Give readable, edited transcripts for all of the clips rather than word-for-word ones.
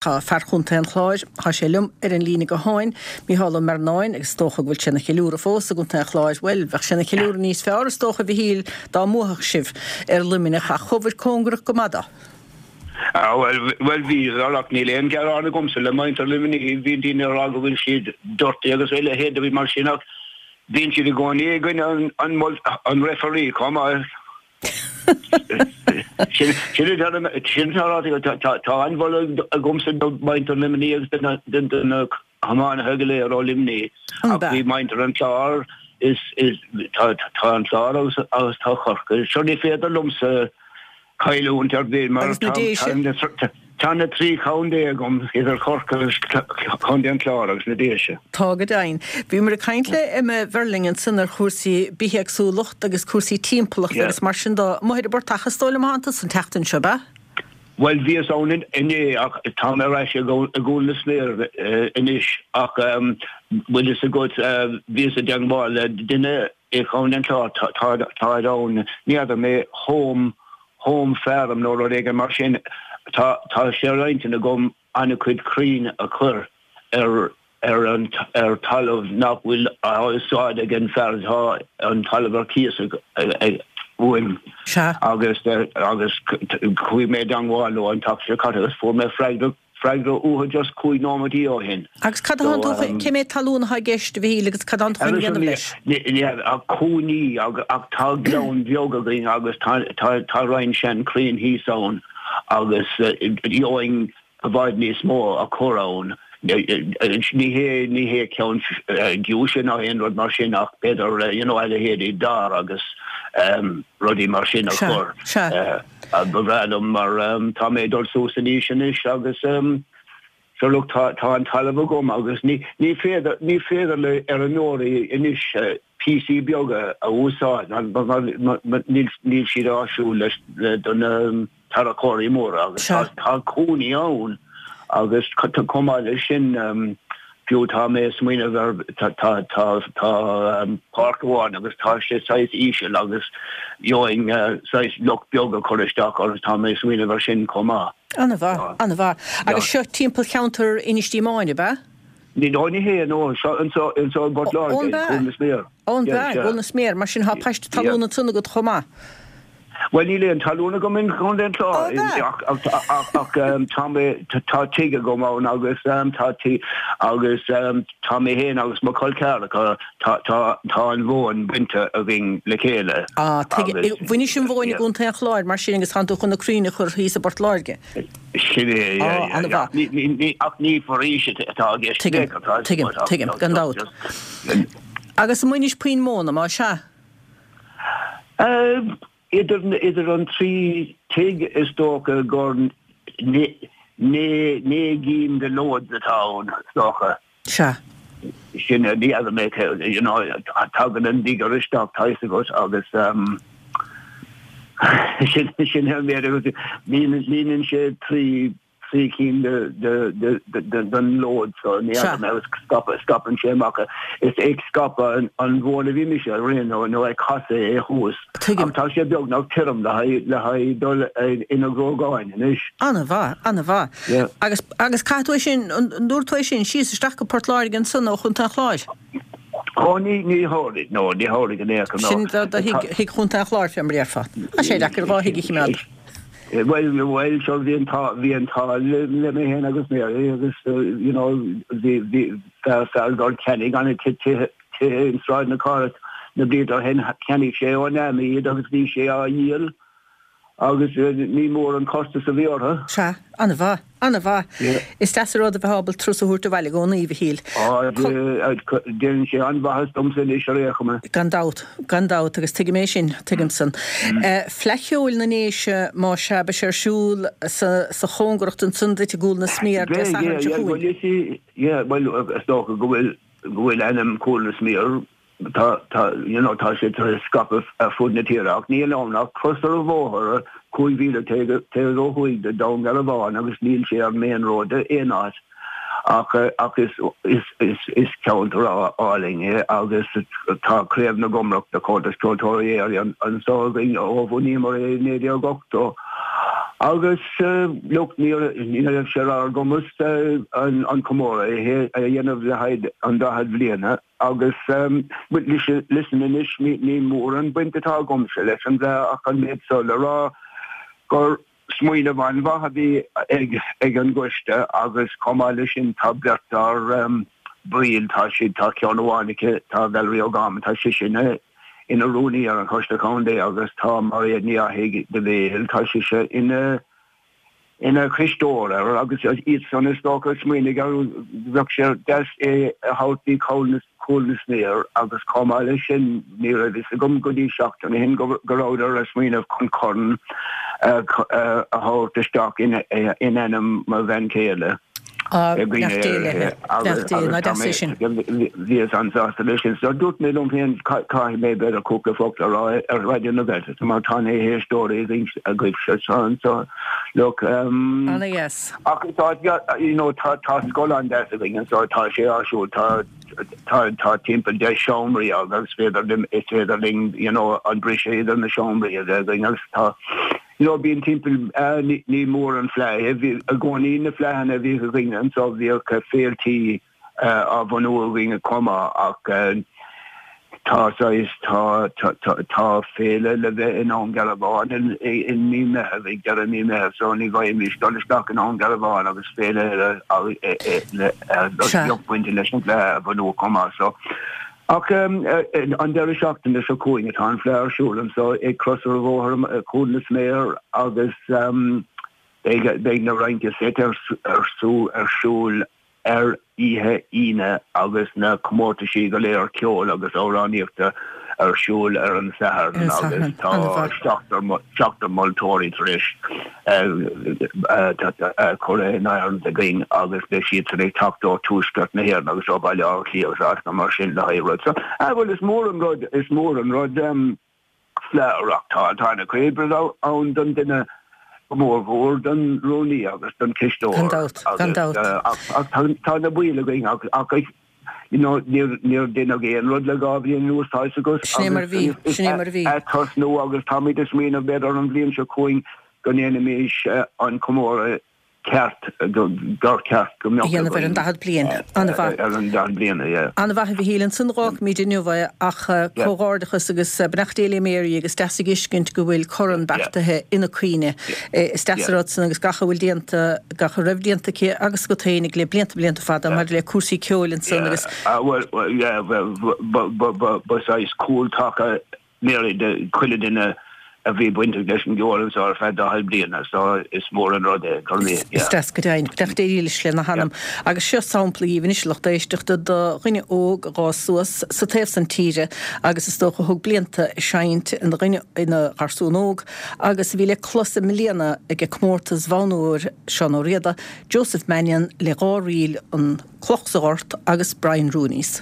Tá fear Chontae an Chláir, tá sé liom ar an líne gutháin, Mícheál Ó Mearnáin, agus is dócha go bhfuil sé ina cheiliúradh fós i gContae an Chláir. Bhuel, bheadh sé ina cheiliúradh níos fearr, is dócha, a Mhichíl, dá mbuafadh sibh ar Luimneach, ach chuabhair cóngarach go maith dó. Ah, bhuel, bhuel, bhíodar, ach níl aon ghearán agamsa le muintir Luimnigh. Bíonn daoine ag rá go bhfuil siad dirty agus a leithéid de mar sin, ach bíonn siad i gcónaí i gcoinne an, an, an referee chomh maith. Sin tá an-mholadh agamsa do mhuintir Luimnigh agus do na hiománaithe go léir ó Luimnigh. Ach bhí muintir an Chláir is tá an Clár agus tá Corcaigh. Sure ní féidir liomsa cailliúint ar bith mar tá Tá na 3 chontae agam, idir Chorcaigh agus Contae an Chláir agus na Déise. Tá go deimhin. Bhíomar ag caint le Emma Verling ansan ar chúrsaí bithéagsúlacht agus cúrsaí timpeallachta agus mar sin de. Amuigh ar an bportach is dóigh liom atánn tusa an tseachtain seo, ab ea? Bhuel, bhíos ann inné ach tá mé ar ais i gCúil na Sméar anois ach bhfuil fhios agat, bhíos i dteangmháil le duine i gContae an Chláir, táid ann, ní fheadar mé, home Home Farm nó rud éigin mar sin. Tá tá sé ar intinn agam an-chuid crainn a chur ar ar an ar talamh nach bhfuil á úsáid ag an fear atá an talamh ar cíos ag uaim. Sea. Agus agus chuaigh mé i dteangmháil leo an tseachtain seo caite agus fuair mé freagra Freagra uathu just 5 nóimeataí ó shin. Agus cad atánn tú chun, cé méad talún atá i gceist, a Mhichíl, agus cad atánn tú chun a dhéanamh leis? Níl ach cúinní ach tá gleann beag againn agus tá roinnt sean crainn thíos ann agus gheobhainn i bhfad níos mó a chur ann. Ní hé ní hé ceann giúise ná aon rud mar sin ach b'fhéidir you know a leithéidí dair agus rudaí mar sin a chur. Sea, sea. Ba bhreá liom mar tá mé ag dul suas in aois anois agus sure look tá tá an talamh agam agus ní ní féidir ní féidir le feirmeoirí anois píosaí beaga a úsáid mar níl níl siad áisiúil leis le do na tarracóirí móra agus tá tá cúinní ann agus chomh maith leis sin Fiú tá mé ag smaoineamh ar, tá, tá, tá, tá páirc amháin agus tá sé saghas íseal agus gheobhainn saghas loch beag a chur isteach agus tá mé ag smaoineamh ar sin chomh maith. An-mhaith, an-mhaith. Agus seo timpeall cheantar Inis Díomáin, ab ea? Ní, no, ní hea, no, seo anseo, anseo i bPort Láirge, i gCúil na Sméar. Ó, an b'ea, i gCúil na Sméar, mar sin tá paiste talún ansan agat chomh maith. Bhuel, níl aon talún agam in Contae an Chláir ach tá mé, tá tigh agam ann agus tá tigh agus tá mé féin agus mo chol ceathracha, tá, tá, tá an mhóin bainte againn le chéile. Ah, tuigim. Bhainis an mhóin i gContae an Chláir mar sin agus tánn tú chun na crainn a chur thíos i bPort Láirge. Sin é, yeah, yeah, yeah. Ní, ach ní foraois atá i gceist. Tuigim, tuigim, tuigim, gan dabht. Agus an mbainis puinn móna, más ea? Idir an 3 tigh is dócha gur 9 gcinn de loads atá ann, is dócha. Sea. Sin, ní fheadar mé cé, you know, tagann an digger isteach, tá fhios agat, agus sin, sin an méid agus líonann sé 3 3 cinn den load so ní fheadar mé agus scaipeann sé amach é. Is ag scaipeadh an mhóin a bhí mise ar aon nó nó ag casadh é thuas. Tuigim. Ach tá sé beagnach tirim le haghaidh le haghaidh dul ina ghruagáin anois. An-mhaith, an-mhaith. Yeah. Agus agus caithfidh tú é sin, an dtabharfaidh tú é sin síos isteach go Port Láirge ansan ó Chontae an Chláir? Ó ní ní thabharfaidh, no, ní thabharfaidh in aon chor, no. Sin do do thigh thigh Chontae an Chláir fé mar a déarfá. Tá sé deacair dhá thigh a chimeád. Bhuel, bhuel, sure, bhí an t-ádh, bhí an t-ádh le mé féin agus Mary agus, you know, bhí, bhí fear, fear gur cheannaigh an-chuid tithe, tithe in Sráid na Cathrach na blianta ó shin, cheannaigh sé ón Army iad agus bhí sé á dhíol agus ní mór an costas a bhí orthu. Sea, an-mhaith. An-mhaith. Is deas an rud a bheith ábalta turas a thabhairt abhaile i gcónaí, a Mhichíl. Á, déanann sé an-mhaitheas domsa anois ar aon chuma. Gan dabht, gan dabht, agus tuigim é sin, tuigim san. Fleadh Cheoil na nDéise, más ea, beidh sé ar siúl sa chóngaracht ansan duit i gCúl na Sméar Dé Sathairn seo chugainn. Yeah, bhuel, is dócha go bhfuil, go bhfuil ainm Chúil na Sméar Tá, tá, you know, tá sé tar éis scaipeadh ar fud na tíre ach níl ann ach cros ar an bhóthar 5 mhíle taobh ó thuaidh de Dún Garbhán agus níl sé ar main road aon áit ach, ach is, is, is, is ceantar álainn é agus tá Craobh na gComrach de Chomhaltas Ceoltóirí Éireann anseo againn ó bhunaíomar é i 1980. Agus look, ní raibh sé ar ár gcumas an comóradh a dhéanamh le haghaidh an 40 bhliana agus listen anois, ní mór an baint atá agamsa leis an bhFleadh ach an méid so le rá gur smaoineamh an-mhaith a bhí ag an gcoiste agus chomh maith leis sin tá beirt dár baill, tá siad, tá ceann amháin aici, tá Valerie O'Gorman, tá sise ina ina rúnaí ar an Choiste Contae agus tá Mairéad Ní Fhathaigh de Bhéal, tá sise ina ina cisteoir air agus iad san is dócha a smaoinigh ar bheadh sé deas é a thabhairt dtí Cúil na Sméar agus chomh maith leis sin ní raibh fhios agam go dtí seachtain ó shin go rabhadar ag smaoineamh chun corn a thabhairt isteach in ainm mo bhean chéile. Ah, beannacht Dé léi. Beannacht Dé, ná deas é sin. Bhíos an-sásta leis sin. So dúirt mé liom féin, caithfidh mé b'fhéidir cúpla focal a rá ar Raidió na Gaeltachta mar tá na héisteoirí agaibhse so look. Ana-dheas. Ach tá, you know, tá scoil an-deas againn anseo, tá sé áisiúil, tá tá tá timpeall 10 seomraí agus is féidir is féidir linn, you know, an briseadh idir na seomraí a bheith againn agus tá You know, bíonn timpeall, ní mór an fleadh é, bhí i gcónaí na fleadhanna a bhíodh againn anseo, bhíodh féiltí á bhunú againn chomh maith ach tá saghas, tá, tá, tá féile le bheith i nDún Garbhán i mí Meitheamh, ag deireadh mí Meitheamh so ní bhfaighimís dul isteach i nDún Garbhán agus féile eile le, beag bainte leis an bhfleadh a bhunú chomh maith so. Ach an deireadh seachtaine seo chugainn atá an Fleadh ar siúl anseo ag Crois ar Bhóthar Chúil na Sméar agus beidh na rince seit ar siúl ar oíche Aoine agus na comórtaisí go léir ceoil agus amhránaíochta ar siúl ar an Satharn agus tá seachtar moltóirí tar éis curtha in áirithe againn agus beidh siadsan ag teacht ó tuaisceart na hÉireann agus ó Bhaile Átha Cliath agus áiteanna mar sin le haghaidh rud. So, ah bhuel is mór an rud, is mór an rud Fleadh a reáchtáil. Tá ana-chuid oibre ann don duine, go mór mhór don rúnaí agus don chisteoir. Gan dabht, gan dabht. Ach tá na baill againn ach You know, níor, níor deineadh aon rud le 2 bhliain anuas, tá fhios agat. Sin é mar a bhí, sin é mar a bhí. Ag tosnú agus táimid ag smaoineamh b'fhéidir an bhliain seo chugainn go ndéanfaimis an comóradh ceart, gur ceart go mbeadh againn. A dhéanamh ar an 40 bliain. An-mhaith. Ar an 40 bliain, yeah. An-mhaith a Mhichíl. Ansan dh'fhágfaimid inniu é ach comhghairdeachas agus beannacht Dé le Mary agus deas a dh'fheiscint go bhfuil corn beartaithe ina cuimhne. Is deas an rud san agus gach a bhfuil déanta, gach a raibh déanta aici agus agat féinig le blianta blianta fada maidir le cúrsaí ceoil ansan agus. Bhuel, yeah, ba saghas cúltaca Mary do chuile duine a bhí bainteach leis an gceol anseo ar feadh 40 bliana, so is mór an rud é gurbh é, yeah. Is deas go deimhin. Beannacht Dé dhílis lena hanam. Agus seo sampla dhíbh anois, a lucht éisteachta, do dhuine óg a dh'fhás suas sa taobh san tíre agus is dócha a thug blianta ag seinnt ina dhuine, ina gharsún óg, agus a bhí le clos i mbliana ag comórtas Bhonn Óir Seán Ó Riada, Joseph Mannion le 2 ríl An Cloch sa Ghort agus Brian Rooney's.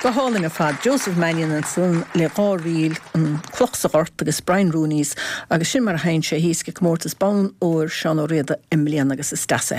Go hálainn ar fad. Joseph Mannion ansan le dá ríl, An Cloch sa Ghort agus Brian Rooney's agus sin mar a sheinn sé thíos ag Comórtas Bonn Óir Seán Ó Riada i mbliana agus is deas é.